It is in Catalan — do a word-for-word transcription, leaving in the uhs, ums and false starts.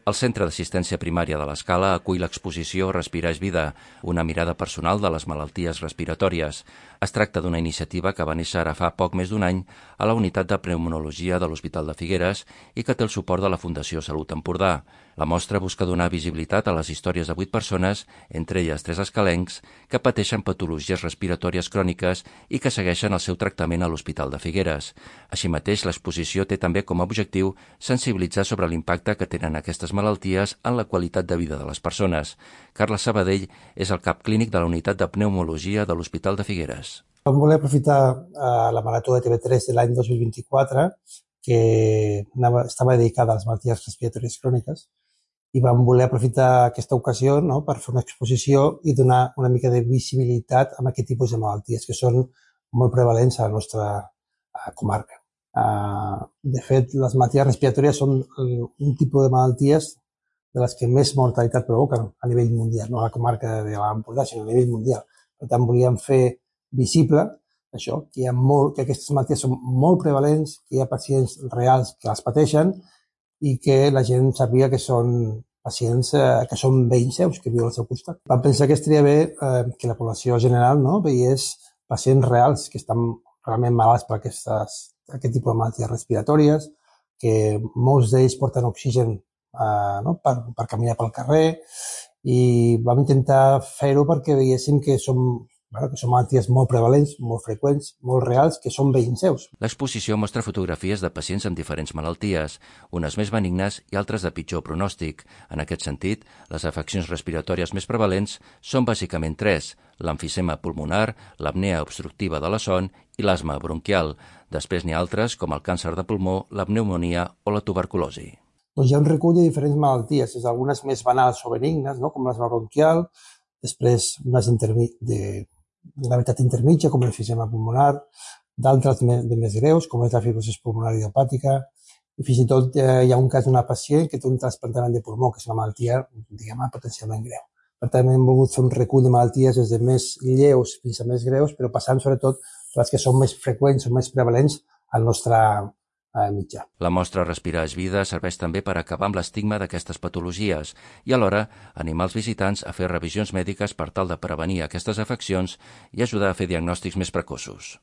El Centre d'Assistència Primària de l'Escala acull l'exposició Respirar és vida, una mirada personal de les malalties respiratòries. Es tracta d'una iniciativa que va néixer ara fa poc més d'un any a la unitat de pneumologia de l'Hospital de Figueres i que té el suport de la Fundació Salut Empordà. La mostra busca donar visibilitat a les històries de vuit persones, entre elles tres escalencs, que pateixen patologies respiratòries cròniques i que segueixen el seu tractament a l'Hospital de Figueres. Així mateix, l'exposició té també com a objectiu sensibilitzar sobre l'impacte que tenen aquestes malalties en la qualitat de vida de les persones. Carles Sabadell és el cap clínic de la unitat de pneumologia de l'Hospital de Figueres. Vam voler aprofitar eh, la marató de T V tres de l'any dos mil vint-i-quatre, que anava, estava dedicada a les malalties respiratòries cròniques, i vam voler aprofitar aquesta ocasió, no?, per fer una exposició i donar una mica de visibilitat a aquest tipus de malalties que són molt prevalents a la nostra uh, comarca. Uh, de fet, les malalties respiratòries són un tipus de malalties de les que més mortalitat provoquen a nivell mundial, no a la comarca de l'Empordà, sinó a nivell mundial. Per tant, volíem fer visible això, que, hi ha molt, que aquestes malalties són molt prevalents, que hi ha pacients reals que les pateixen i que la gent sàpiga que són pacients eh, que són veïns seus, que viuen al seu costat. Vam pensar que estaria bé eh, que la població general, no, veiés pacients reals que estan realment malalts per aquestes, aquest tipus de malalties respiratòries, que molts d'ells porten oxigen eh, no, per, per caminar pel carrer, i vam intentar fer-ho perquè veiéssim que som Bueno, que són malalties molt prevalents, molt freqüents, molt reals, que són veïns seus. L'exposició mostra fotografies de pacients amb diferents malalties, unes més benignes i altres de pitjor pronòstic. En aquest sentit, les afeccions respiratòries més prevalents són bàsicament tres: l'emfisema pulmonar, l'apnea obstructiva de la son i l'asma bronquial. Després n'hi ha altres, com el càncer de pulmó, la pneumònia o la tuberculosi. Doncs hi ha un recull de diferents malalties, des d'algunes més banals o benignes, no?, com l'asma bronquial, després unes de gravetat intermitja, com l'emfisema pulmonar, d'altres de més greus, com és la fibrosi pulmonar idiopàtica, i fins i tot eh, hi ha un cas d'una pacient que té un trasplantament de pulmó, que és una malaltia, diguem, potencialment greu. Per tant, hem volgut fer un recull de malalties des de més lleus fins a més greus, però passant sobretot per les que són més freqüents o més prevalents al nostre eh, mitjà. La mostra Respirar és vida serveix també per acabar amb l'estigma d'aquestes patologies i alhora animar els visitants a fer revisions mèdiques per tal de prevenir aquestes afeccions i ajudar a fer diagnòstics més precoços.